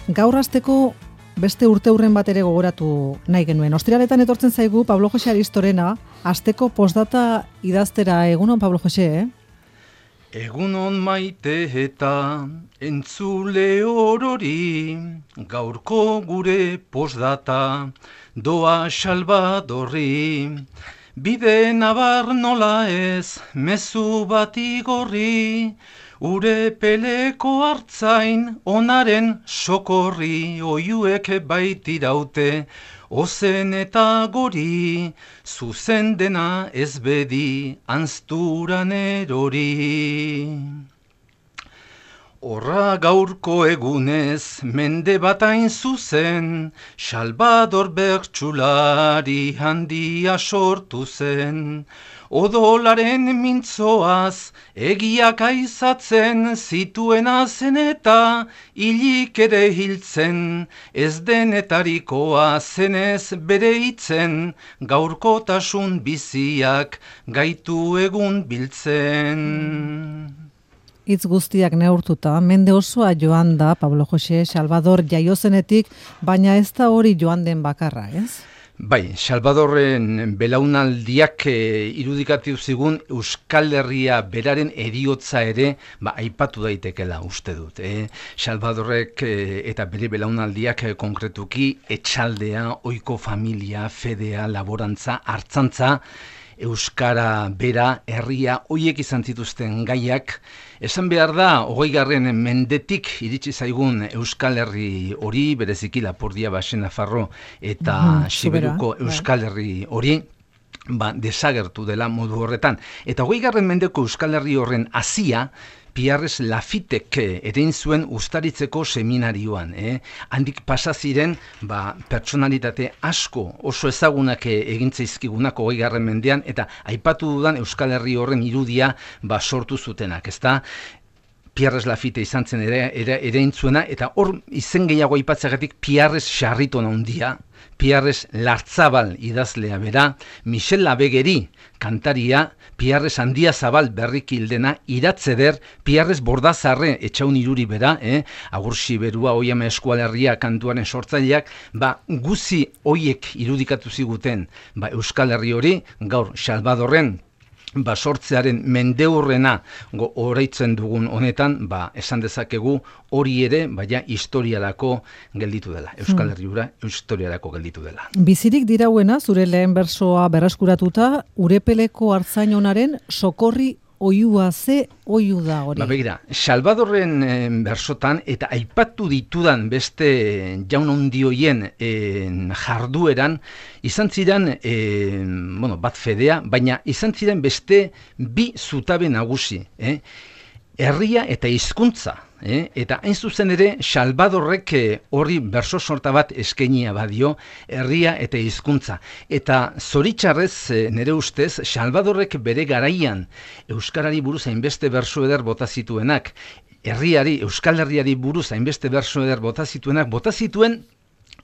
gaur hasteko beste urteurren bat ere gogoratu nahi genuen. Ostiraletan etortzen zaigu Pablo Jose Aristorena, hasteko postdata idaztera. Egunon, Pablo Jose, Egunon maite eta entzule orori, gaurko gure postdata doa Salvadorri. Bide nabar nola ez, mezu bat igorri, ure peleko hartzain onaren sokorri, oiuek baitiraute, ozen eta gori, zuzen dena ez bedi, anzturan erori. Horra gaurko egunez, mende bat hain zuzen, Salvador bertsulari handia sortu zen. Odolaren mintzoaz, egiak aizatzen, zituena zen eta hilik ere hiltzen, ez denetarikoa zenez bere hitzen, gaurkotasun biziak gaitu egun biltzen. Hitz guztiak neurtuta, mende osoa joan da Pablo Jose Salvador jaiozenetik, baina ez da hori joan den bakarra, ez? Bai, Salvadorren belaunaldiak irudikatu zigun Euskal Herria beraren heriotza ere aipatu daitekela uste dut. Salvadorrek eta bere belaunaldiak konkretuki etxaldea, ohiko familia, fedea, laborantza, artzantza, Euskara bera, herria, hoiek izan zituzten gaiak. Esan behar da, 20. mendetik iritsi zaigun Euskal Herri hori, bereziki Lapurdia, Baxe Nafarro eta Siberuko Euskal Herri hori, desagertu dela modu horretan. Eta 20. mendeko Euskal Herri horren hasia, Pierres Lafitek erein zuen Uztaritzeko seminarioan. Handik pasa ziren pertsonalitate asko oso ezagunak egintzaizkigunak 20. mendean, eta aipatu dudan Euskal Herri horren irudia sortu zutenak, ezta? Pierres Lafite izan zen erein zuena, eta hor izen gehiago aipatzeagatik Pierres Sarriton handia, Pierres Lartzabal idazlea bera, Michel Labegeri kantaria, Pierres Handiazabal berrikildena, Iratzeder, Pierres Bordazarre etxaun iruri bera, Agursi Berua, Oiama Eskualerria kantuaren sortzaileak, guzi hoiek irudikatu ziguten Euskal Herri hori, gaur Salvadorren sortzearen mendeurrena oraitzen dugun honetan, esan dezakegu hori ere, historiarako gelditu dela. Euskal Herriura historiarako gelditu dela. Bizirik dirauena, zure lehen bersoa berreskuratuta, urepeleko hartzainonaren sokorri oiua, ze oiu da hori? Begira, Salvadorren bersotan eta aipatu ditudan beste jaun handioien jardueran, izan ziren, bat fedea, baina izan ziren beste bi zutabe nagusi. Herria eta hizkuntza. Eta hain zuzen ere, Salvadorrek horri berso sorta bat eskainia badio, herria eta hizkuntza. Eta zoritxarrez, nire ustez, Salvadorrek bere garaian Euskarari buruz hainbeste berso eder bota zituenak, herriari, Euskal Herriari buruz hainbeste berso eder bota zituen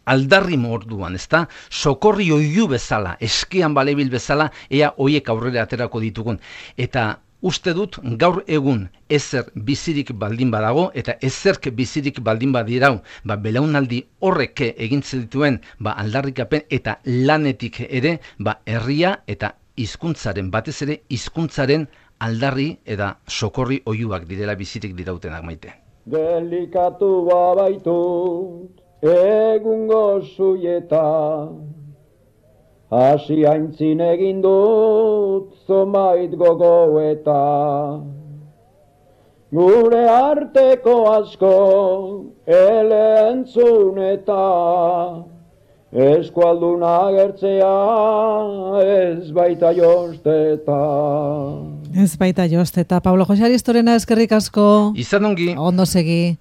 aldarri morduan, ezta? Sokorri oiu bezala, eskian balebil bezala, ea hoiek aurrera aterako ditugun. Eta uste dut gaur egun ezer bizirik baldin badago eta ezerk bizirik baldin badirau, belaunaldi horrek egintzen dituen aldarrikapen eta lanetik ere herria eta hizkuntzaren, batez ere hizkuntzaren aldarri eta sokorri oiuak direla bizirik dirautenak, Maite. Delikatu baitut egungo zuieta, hasi aintzin egin dut zomait gogoeta. Gure arteko asko elentzun eta eskualduna agertzea ez baita josteta. Ez baita josteta. Pablo Jose Aristorena, eskerrik asko. Izan ongi. Ondo segi.